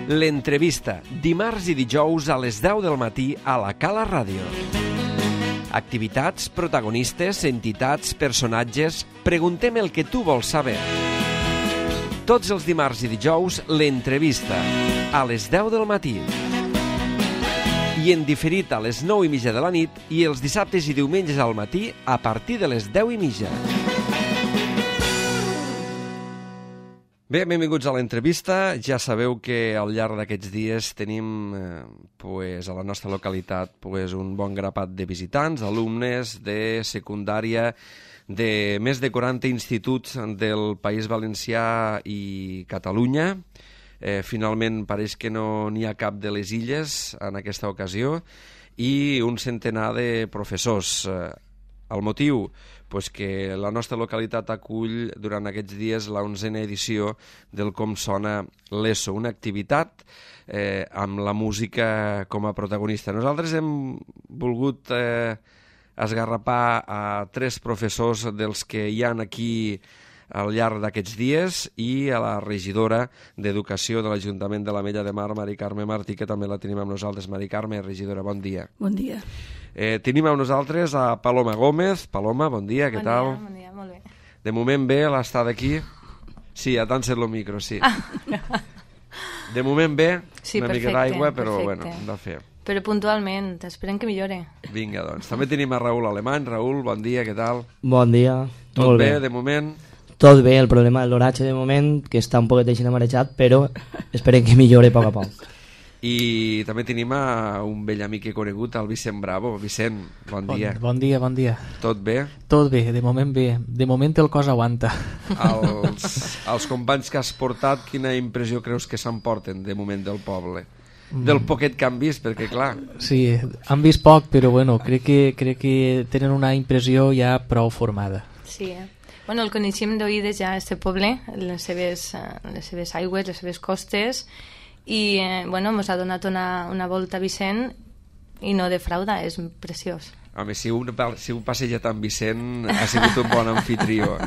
L'entrevista, dimarts i dijous a les 10 del matí a la Cala Ràdio. Activitats, protagonistes, entitats, personatges... Preguntem el que tu vols saber. Tots els dimarts i dijous, l'entrevista, a les 10 del matí. I en diferit a les 9:30 de la nit i els dissabtes i diumenges al matí a partir de les 10:30. Bé, benvinguts a l'entrevista. Ja sabeu que al llarg d'aquests dies tenim a la nostra localitat un bon grapat de visitants, alumnes de secundària de més de 40 instituts del País Valencià i Catalunya. Finalment pareix que no n'hi ha cap de les illes en aquesta ocasió i un centenar de professors. El motiu? Pues que la nostra localitat acull durant aquests dies la 11a edició del Com Sona l'ESO, una activitat amb la música com a protagonista. Nosaltres hem volgut esgarrapar a 3 professors dels que hi ha aquí al llarg d'aquests dies i a la regidora d'Educació de l'Ajuntament de l'Ametlla de Mar, Mari Carme Martí, que també la tenim amb nosaltres. Mari Carme, regidora, bon dia. Bon dia. Tenim amb nosaltres a Paloma Gómez. Paloma, bon dia, què tal? Bon dia, molt bé. De moment bé l'estada aquí? Sí, ha t'encet el micro, sí. De moment bé, sí, una mica d'aigua, però bueno, hem de fer. Però puntualment, esperem que millore. Vinga, doncs. També tenim a Raül Alemany. Raül, bon dia, què tal? Bon dia. Tot bé, de moment? Tot bé, el problema de l'oratge de moment, que està un poquet així marejat, però esperem que millore a poc a poc. I també tenim un vell amic que he conegut, el Vicent Bravo. Vicent, bon dia. Bon dia, bon dia. Tot bé? Tot bé, de moment bé. De moment el cos aguanta. Els companys que has portat, quina impressió creus que s'emporten de moment del poble? Del poquet que han vist, perquè clar... Sí, han vist poc, però bueno, crec que tenen una impressió ja prou formada. Sí, bueno, el coneixem d'oïdes ja, este poble, les seves aigües, les seves costes, i bueno, ens ha donat una volta Vicent i no defrauda, és preciós. Home, si un passejat amb Vicent ha sigut un bon anfitrió.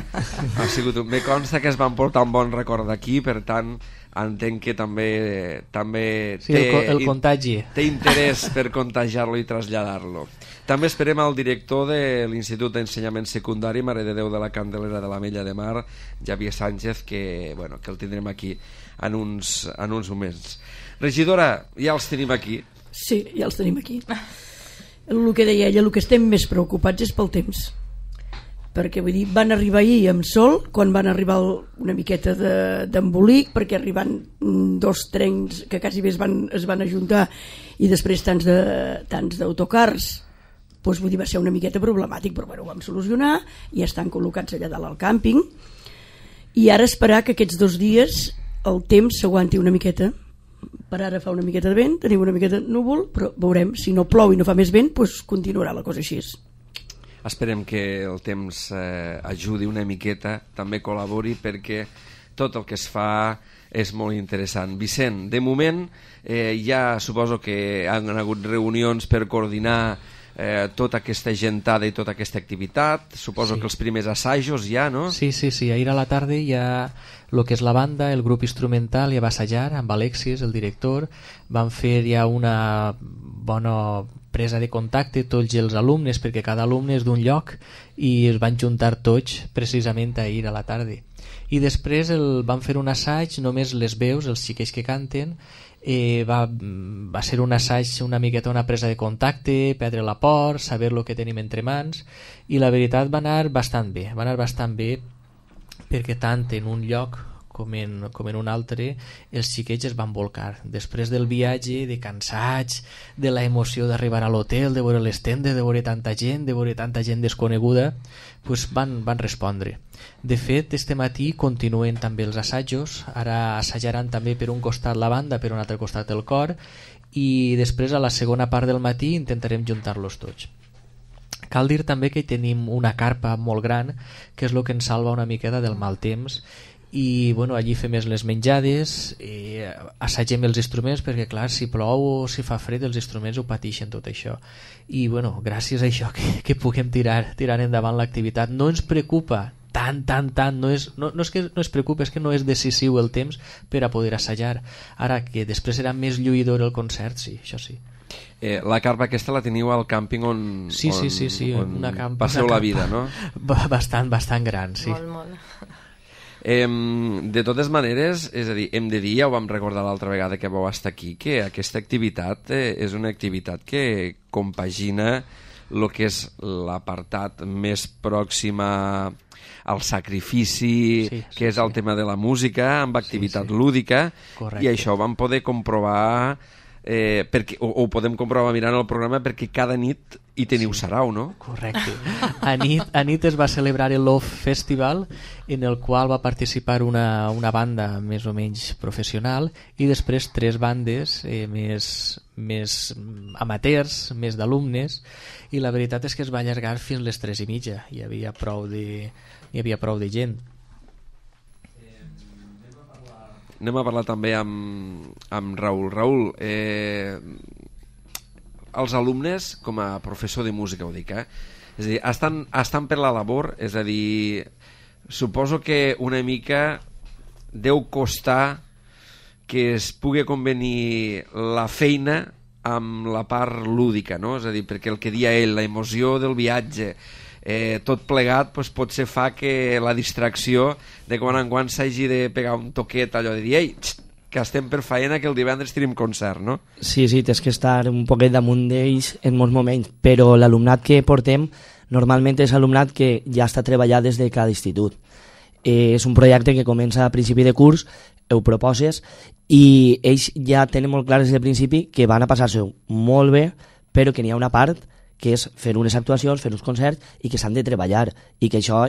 Me consta que es van portar un bon record d'aquí, per tant entenc que també sí, el contagi. Té interès per contagiar-lo i traslladar-lo. També esperem al director de l'Institut d'Ensenyament Secundari Mare de Déu de la Candelera de l'Ametlla de Mar, Javier Sánchez, que el tindrem aquí en uns moments. Regidora, ja els tenim aquí. Sí, ja els tenim aquí. El que deia ella, el que estem més preocupats és pel temps, perquè vull dir, van arribar ahir amb sol, quan van arribar una miqueta d'embolic, perquè arribant 2 trens que quasi bé es van ajuntar i després tants d'autocars, doncs vull dir, va ser una miqueta problemàtic, però bueno, ho vam solucionar i estan col·locats allà dalt al càmping, i ara esperar que aquests 2 dies el temps s'aguanti una miqueta. Per ara fa una miqueta de vent, tenim una miqueta de núvol, però veurem, si no plou i no fa més vent, doncs continuarà la cosa així. Esperem que el temps ajudi una miqueta, també col·labori, perquè tot el que es fa és molt interessant. Vicent, de moment ja suposo que han hagut reunions per coordinar tota aquesta gentada i tota aquesta activitat. Suposo que els primers assajos ja, no? Sí, ahir a la tarda ja el que és la banda, el grup instrumental ja va assajar amb Alexis, el director, van fer ja una bona presa de contacte tots els alumnes, perquè cada alumne és d'un lloc, i es van juntar tots precisament ahir a la tarda. I després van fer un assaig, només les veus, els xiquets que canten, va ser un assaig una miqueta, una presa de contacte, perdre la por, saber el que tenim entre mans, i la veritat va anar bastant bé, perquè tant en un lloc com en un altre els xiquets es van volcar. Després del viatge, de cansats, de la emoció d'arribar a l'hotel, de veure les tendes, de veure tanta gent desconeguda, doncs van respondre. De fet, este matí continuen també els assajos, ara assajaran també per un costat la banda, per un altre costat el cor, i després a la segona part del matí intentarem juntar-los tots. Cal dir també que tenim una carpa molt gran, que és el que ens salva una miqueta del mal temps, i bueno, allí fem les menjades, assagem els instruments, perquè clar, si plou o si fa fred els instruments ho pateixen tot això, i bueno, gràcies a això que puguem tirar endavant l'activitat. No ens preocupa tant, no és que no es preocupa, és que no és decisiu el temps per a poder assajar. Ara que després serà més lluïdor el concert, sí, això sí. La carpa aquesta la teniu al càmping on una campa, passeu la vida, no? Bastant gran, sí. Molt. De totes maneres, és a dir, hem de dir, ja ho vam recordar l'altra vegada que vau estar aquí, que aquesta activitat és una activitat que compagina el que és l'apartat més pròxim al sacrifici, que és el tema de la música, amb activitat lúdica. Correcte. I això ho vam poder comprovar, ho podem comprovar mirant el programa, perquè cada nit hi teniu sarau, no? Correcte. A nit es va celebrar el Love Festival, en el qual va participar una banda més o menys professional i després 3 bandes més amateurs, més d'alumnes, i la veritat és que es va allargar fins les 3:30. Hi havia prou de gent. Anem a parlar també amb Raül. Raül, els alumnes, com a professor de música ho dic, és a dir, estan per la labor, és a dir, suposo que una mica deu costar que es pugui convenir la feina amb la part lúdica, no? És a dir, perquè el que dia ell, la emoció del viatge, tot plegat, doncs, potser fa que la distracció de quan en quan s'hagi de pegar un toquet, allò de dir, ei, que estem per faena, que el divendres tenim concert, no? Sí, tens que estar un poquet damunt d'ells en molts moments, però l'alumnat que portem normalment és alumnat que ja està treballat des de cada institut. És un projecte que comença a principi de curs, ho proposes, i ells ja tenen molt clar des del principi que van a passar-se molt bé, però que n'hi ha una part que és fer unes actuacions, fer uns concerts, i que s'han de treballar, i que això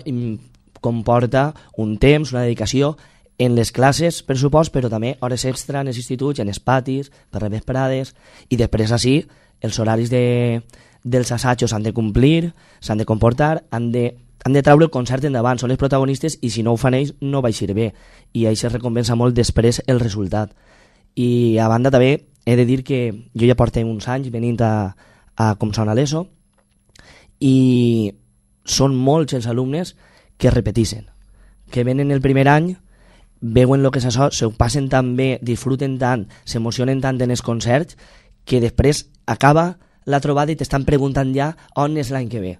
comporta un temps, una dedicació en les classes, per supost, però també hores extra en els instituts, en els patis, per les vesprades, i després així els horaris dels assajos s'han de complir, s'han de comportar, han de treure el concert endavant, són els protagonistes, i si no ho fan ells no va eixir bé, i ells es recompensa molt després el resultat. I a banda també he de dir que jo ja porto uns anys venint a com sona l'ESO, i són molts els alumnes que repeteixen, que venen el primer any, veuen el que és això, s'ho passen tan bé, disfruten tant, s'emocionen tant en els concerts, que després acaba la trobada i t'estan preguntant ja on és l'any que ve.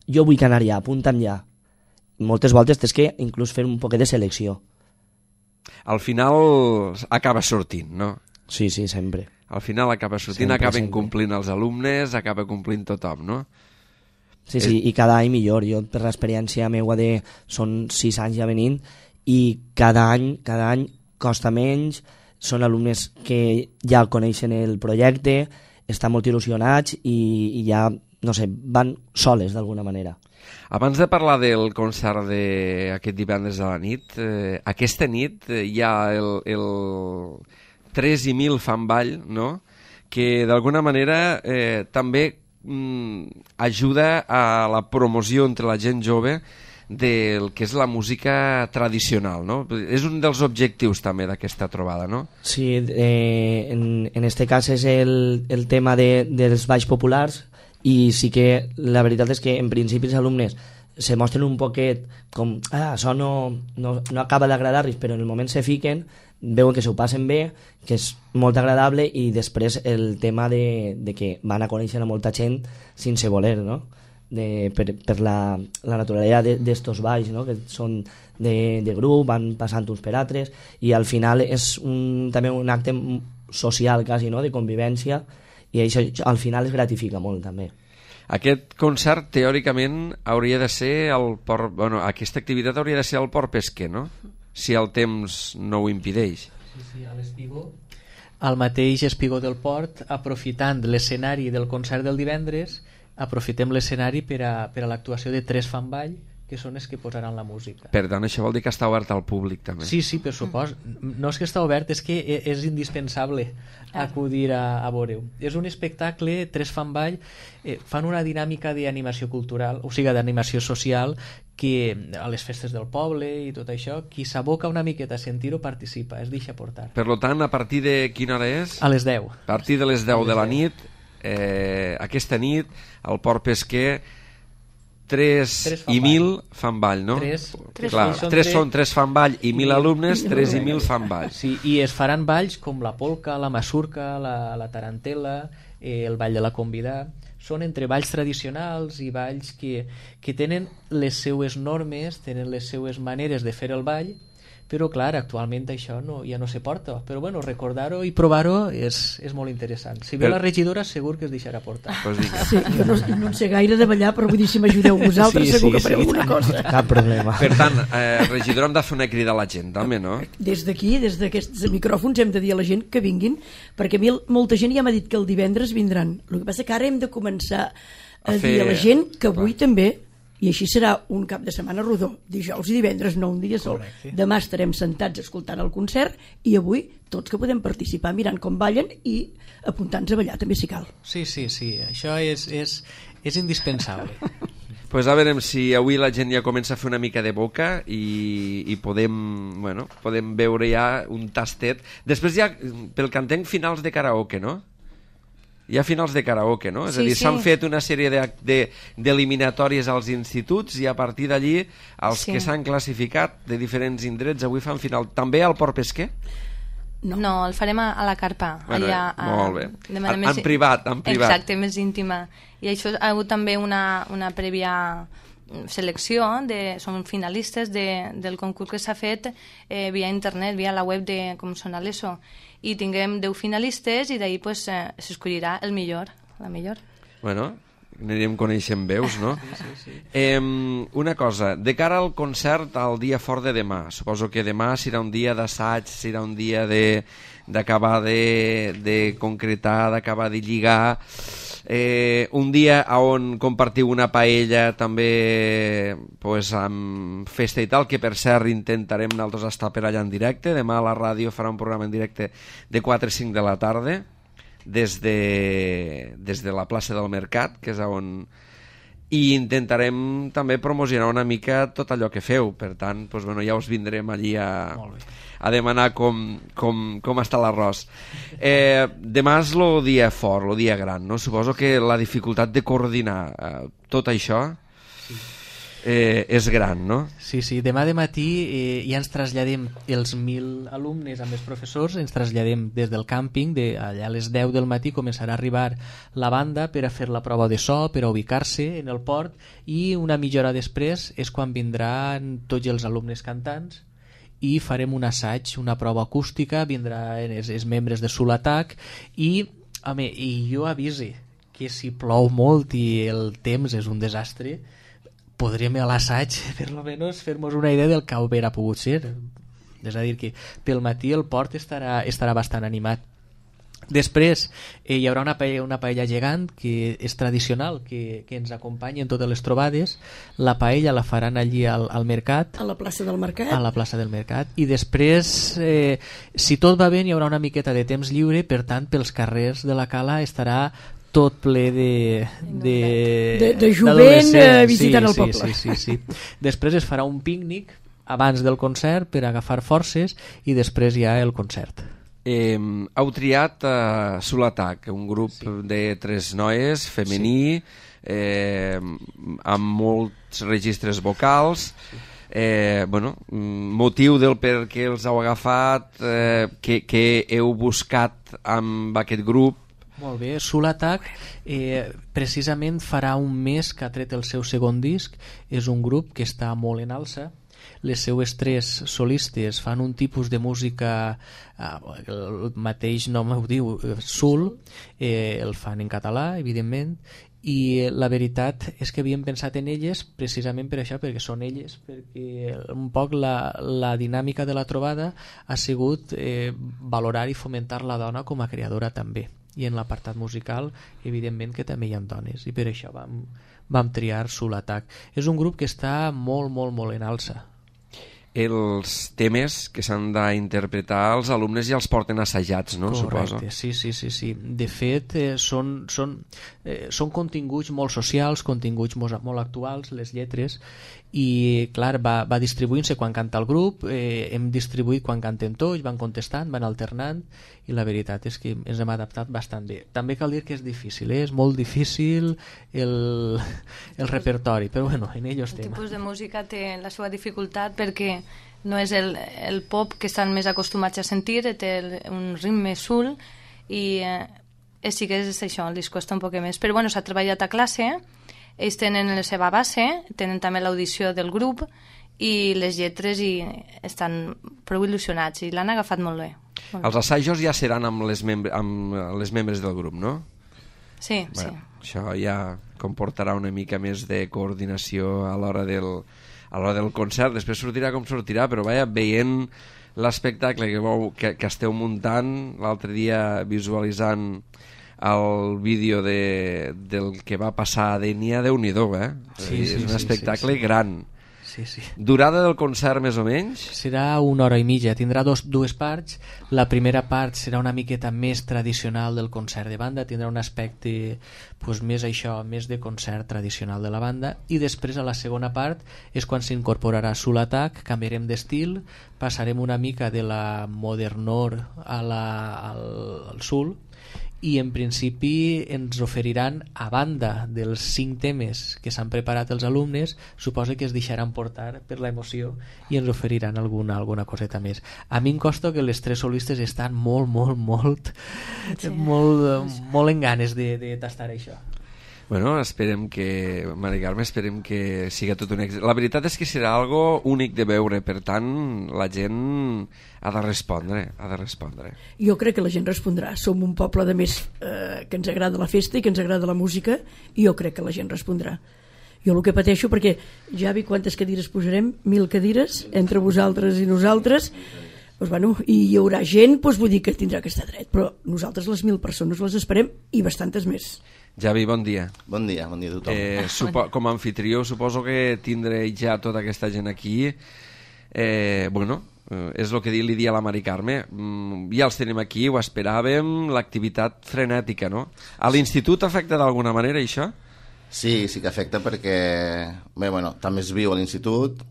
Jo vull anar ja, apunta'm ja. Moltes voltes tens que inclús fer un poquet de selecció. Al final acaba sortint, no? Sí, sempre. Al final acaba sortint, acaben complint els alumnes, acaba complint tothom, no? Sí, i cada any millor. Jo, per l'experiència meua són 6 anys ja venint, i cada any costa menys, són alumnes que ja coneixen el projecte, estan molt il·lusionats i ja, no sé, van soles d'alguna manera. Abans de parlar del concert d'aquest divendres a la nit, aquesta nit hi ha el 3 i 1000 fan ball, no? Que d'alguna manera també ajuda a la promoció entre la gent jove del que és la música tradicional, no? És un dels objectius també d'aquesta trobada, no? Sí, en este cas és el tema dels balls populars, i sí que la veritat és que en principi els alumnes se mostren un poquet com, això no acaba d'agradar-los, però en el moment se fiquen, veuen que s'ho passen bé, que és molt agradable, i després el tema de que van a conèixer a molta gent sense voler, no? Per la naturalesa d'estos balls, no? Que són de grup, van passant uns per altres, i al final és també un acte social quasi, no? De convivència, i això al final es gratifica molt també. Aquest concert teòricament hauria de ser aquesta activitat hauria de ser al Port Pesquer, no? Si el temps no ho impedeix. Sí, a l'Espigó. Al mateix Espigó del Port, aprofitant l'escenari del concert del divendres, aprofitem l'escenari per a l'actuació de 3 fan ball, que són els que posaran la música. Per tant, això vol dir que està obert al públic també. Sí, per supost. No és que està obert, és que és indispensable acudir a veure-ho. És un espectacle, 3 fan ball, fan una dinàmica d'animació cultural, o sigui, d'animació social, que a les festes del poble i tot això, qui s'aboca una miqueta a sentir-ho participa, es deixa portar. Per tant, a partir de quina hora és? A les 10. A partir de les 10 de la nit, aquesta nit, al Port Pesquer, 3 i 1.000 fan ball, no? 3 fan ball i 1.000 alumnes, 3 i 1.000 fan ball. Sí, i es faran balls com la polca, la masurca, la tarantela, el ball de la convidà. Són entre balls tradicionals i balls que tenen les seues normes, tenen les seues maneres de fer el ball, però clar, actualment això ja no se porta, però bueno, recordar-ho i provar-ho és molt interessant. Si ve la regidora segur que es deixarà portar. Sí, jo no en sé gaire de ballar, però vull dir, si m'ajudeu vosaltres segur que fareu alguna cosa. Cap problema. Per tant, regidora, hem de fer una crida a la gent també, no? Des d'aquí, des d'aquests micròfons, hem de dir a la gent que vinguin, perquè a mi molta gent ja m'ha dit que el divendres vindran. El que passa que ara hem de començar a dir a la gent que avui també, i així serà un cap de setmana rodó, dijous i divendres, no un dia sol. Correcte. Demà estarem sentats escoltant el concert i avui tots que podem participar mirant com ballen i apuntant-nos a ballar també si cal. Sí, això és indispensable. Pues a veure si avui la gent ja comença a fer una mica de boca i podem veure ja un tastet. Després ja, pel que entenc, finals de karaoke, no? Hi ha finals de karaoke, no? És a dir, s'han fet una sèrie d'eliminatòries als instituts i a partir d'allí els que s'han classificat de diferents indrets avui fan final. També al Port Pesquer? No, el farem a la carpa. Bueno, allà, molt bé. En privat. Exacte, més íntima. I això ha hagut també una prèvia selecció, són finalistes del concurs que s'ha fet via internet, via la web de Com sona l'ESO, i tinguem 10 finalistes i d'ahir pues, s'escollirà el millor, la millor. Bueno, anirem coneixent veus, no? Sí. Una cosa, de cara al concert al dia fort de demà, suposo que demà serà un dia d'assaig, serà un dia d'acabar de concretar, d'acabar de lligar, un dia on compartiu una paella també pues, amb festa i tal, que per cert intentarem nosaltres estar per allà en directe. Demà a la ràdio farà un programa en directe de 4 a 5 de la tarda des de la plaça del Mercat, que és on... i intentarem també promocionar una mica tot allò que feu, per tant pues, bueno, ja us vindrem allí a demanar com està l'arròs. Demà és el dia fort, el dia gran, no? Suposo que la dificultat de coordinar tot això és gran, no? Sí, demà de matí ja ens traslladem els 1.000 alumnes amb els professors, ens traslladem des del càmping, allà a les 10 del matí començarà a arribar la banda per a fer la prova de so, per a ubicar-se en el port, i una mitja hora després és quan vindran tots els alumnes cantants i farem un assaig, una prova acústica, vindran els membres de Sulatac i jo avise que si plou molt i el temps és un desastre, podrem a l'assaig per almenys fer-nos una idea del que haurà pogut ser. És a dir, que pel matí el port estarà bastant animat. Després hi haurà una paella gegant que és tradicional, que ens acompanya en totes les trobades. La paella la faran allí al mercat, a la plaça del Mercat, i després si tot va bé hi haurà una miqueta de temps lliure, per tant pels carrers de la Cala estarà tot ple de jovent visitant el poble. Sí. Després es farà un pícnic abans del concert per agafar forces i després hi ha el concert. Heu triat Sulatac, un grup de 3 noies, femení, amb molts registres vocals. Motiu del per què els heu agafat, que heu buscat amb aquest grup. Molt bé, Sulatac precisament farà un mes que ha tret el seu segon disc. És un grup que està molt en alça. Les seues 3 solistes fan un tipus de música, el mateix nom ho diu, sul, el fan en català, evidentment, i la veritat és que havíem pensat en elles precisament per això, perquè són elles, perquè un poc la dinàmica de la trobada ha sigut valorar i fomentar la dona com a creadora també, i en l'apartat musical evidentment que també hi ha dones, i per això vam triar Sulatac. És un grup que està molt en alça. Els temes que s'han d'interpretar els alumnes ja els porten assajats, no? Correcte, suposo. Sí. De fet, són continguts molt socials, continguts molt actuals, les lletres, i clar, va distribuint-se quan canta el grup, hem distribuït quan cantem tots, van contestant, van alternant, i la veritat és que ens hem adaptat bastant bé. També cal dir que és difícil, és molt difícil el repertori, però bueno, en ello estem. El tipus de música té la seva dificultat perquè no és el pop que estan més acostumats a sentir, té un ritme sul i sí que és això, els costa un poc més, però bueno, s'ha treballat a classe. Ells tenen la seva base, tenen també l'audició del grup i les lletres i estan prou il·lusionats i l'han agafat molt bé. Els assajos ja seran amb les membres del grup, no? Sí, sí. Això ja comportarà una mica més de coordinació a l'hora del concert. Després sortirà com sortirà, però vaja, veient l'espectacle que esteu muntant, l'altre dia visualitzant el vídeo del que va passar a Dénia, Déu-n'hi-do, Sí, és un espectacle gran. Sí, sí. Durada del concert, més o menys? Serà 1 hora i mitja, tindrà dues parts. La primera part serà una miqueta més tradicional del concert de banda, tindrà un aspecte més de concert tradicional de la banda, i després a la segona part és quan s'incorporarà Soul Attack, canviarem d'estil, passarem una mica de la modernor al soul, i en principi ens oferiran, a banda dels 5 temes que s'han preparat els alumnes, suposo que es deixaran portar per l'emoció i ens oferiran alguna coseta més. A mi em costa que les 3 solistes estan molt en ganes de tastar això. Bueno, esperem que, Mari Carme, siga tot un èxit. La veritat és que serà algo únic de veure, per tant, la gent ha de respondre. Jo crec que la gent respondrà. Som un poble de més que ens agrada la festa i que ens agrada la música, i jo crec que la gent respondrà. Jo el que pateixo, perquè Javi, quantes cadires posarem? 1.000 cadires entre vosaltres i nosaltres. Doncs, bueno, i hi haurà gent, doncs vull dir que tindrà que estar dret, però nosaltres les 1.000 persones les esperem i bastantes més. Javi, bon dia. Bon dia a tothom. Com a anfitrió, suposo que tindré ja tota aquesta gent aquí. És el que li dia a la Mari Carme. Ja els tenim aquí, ho esperàvem, l'activitat frenètica, no? A l'institut afecta d'alguna manera, això? Sí que afecta perquè també es viu a l'institut,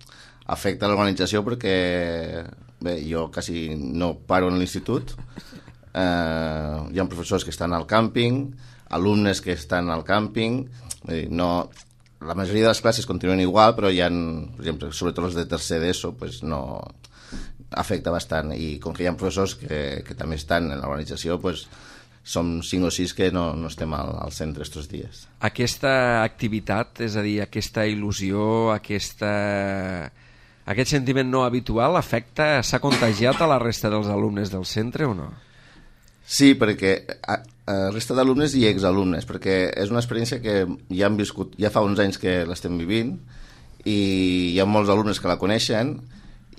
afecta l'organització perquè jo quasi no paro en l'institut, hi ha professors que estan al càmping, alumnes que estan al càmping, la majoria de les classes continuen igual, però hi ha, per exemple, sobretot els de tercer d'ESO, no afecta bastant, i com que hi ha professors que també estan en l'organització, som 5 o 6 que no estem al centre estos dies. Aquesta activitat, és a dir, aquesta il·lusió, aquest sentiment no habitual s'ha contagiat a la resta dels alumnes del centre o no? Sí, perquè resta d'alumnes i exalumnes, perquè és una experiència que ja hem viscut, ja fa uns anys que l'estem vivint, i hi ha molts alumnes que la coneixen,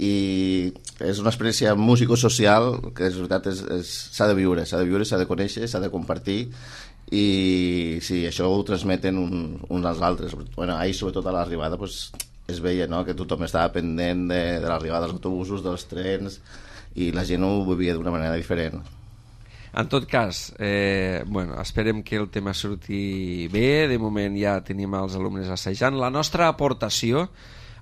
i és una experiència musicosocial que és veritat, s'ha de viure, s'ha de conèixer, s'ha de compartir, i sí, això ho transmeten uns als altres. Ahir, sobretot a l'arribada, es veia que tothom estava pendent de l'arribada dels autobusos, dels trens, i la gent ho vivia d'una manera diferent. En tot cas, esperem que el tema surti bé. De moment ja tenim els alumnes assajant. La nostra aportació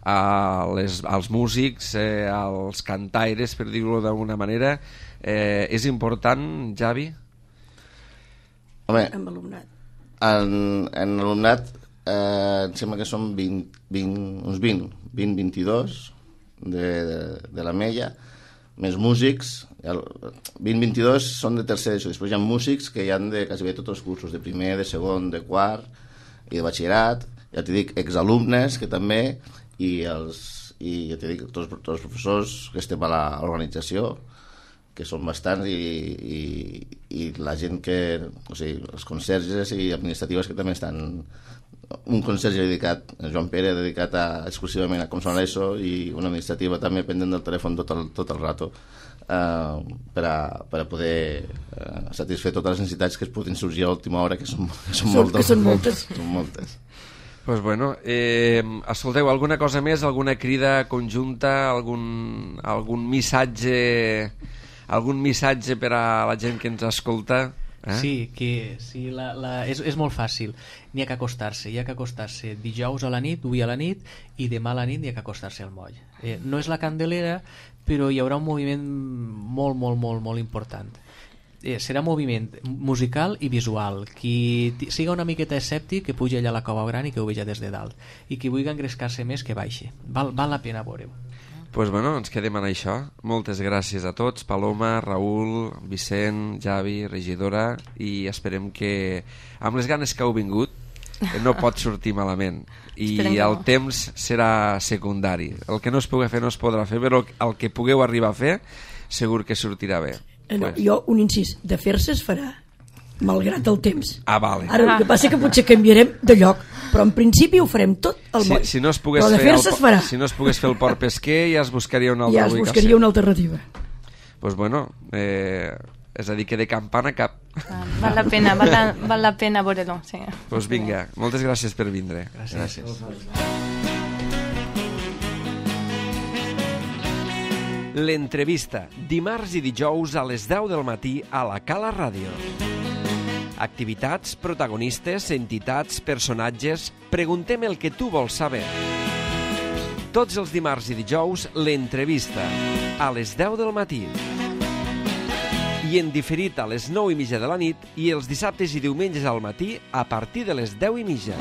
als músics, als cantaires, per dir-ho d'alguna manera, és important, Javi? Home, amb alumnat. En alumnat em sembla que són uns 20-22 de la Mella, més músics. 20-22 són de tercer d'ESO. Després hi ha músics que hi han de quasi bé tots els cursos, de primer, de segon, de quart i de batxillerat. Ja t'hi dic, exalumnes que també, i ja t'hi dic, tots els professors que estem a l'organització, que són bastants, i la gent que, o sigui, els conserges i administratives que també estan. Un conserge dedicat, Joan Pere, dedicat exclusivament a com sona l'ESO, i una administrativa també pendent del telèfon tot el rato, per a poder satisfer totes les necessitats que es poden sorgir a l'última hora, que són moltes. Pues bueno, escolteu, alguna cosa més, alguna crida conjunta, algun missatge per a la gent que ens escolta? Sí, és molt fàcil. N'hi ha que acostar-se. Dijous a la nit, avui a la nit, i demà a la nit n'hi ha que acostar-se al moll. No és la Candelera, però hi haurà un moviment molt important. Serà moviment musical i visual. Qui siga una miqueta escèptic, que pugi allà a la Cova Gran i que ho veja des de dalt. I qui vulgui engrescar-se més, que baixi. Val la pena veure-ho. Doncs bueno, ens quedem en això. Moltes gràcies a tots, Paloma, Raül, Vicent, Javi, regidora, i esperem que amb les ganes que heu vingut no pot sortir malament. I el temps serà secundari. El que no es pugui fer no es podrà fer, però el que pugueu arribar a fer segur que sortirà bé. Jo, un incís, de fer-se es farà, malgrat el temps. Vale. Ara el que passa és que potser canviarem de lloc, però en principi ho farem tot al moll. Si no es pogués però de fer-se es farà. Si no es pogués fer el port pesquer, ja es buscaria una altra ubicació. Ja es buscaria una alternativa. Doncs bueno, és a dir, que de campana cap. Val la pena veure-lo, sí. Doncs vinga, moltes gràcies per vindre. Gràcies. L'entrevista, dimarts i dijous a les 10 del matí a la Cala Ràdio. Activitats, protagonistes, entitats, personatges... Preguntem el que tu vols saber. Tots els dimarts i dijous, l'entrevista, a les 10 del matí. I en diferit a les 9:30 de la nit i els dissabtes i diumenges al matí a partir de les 10:30.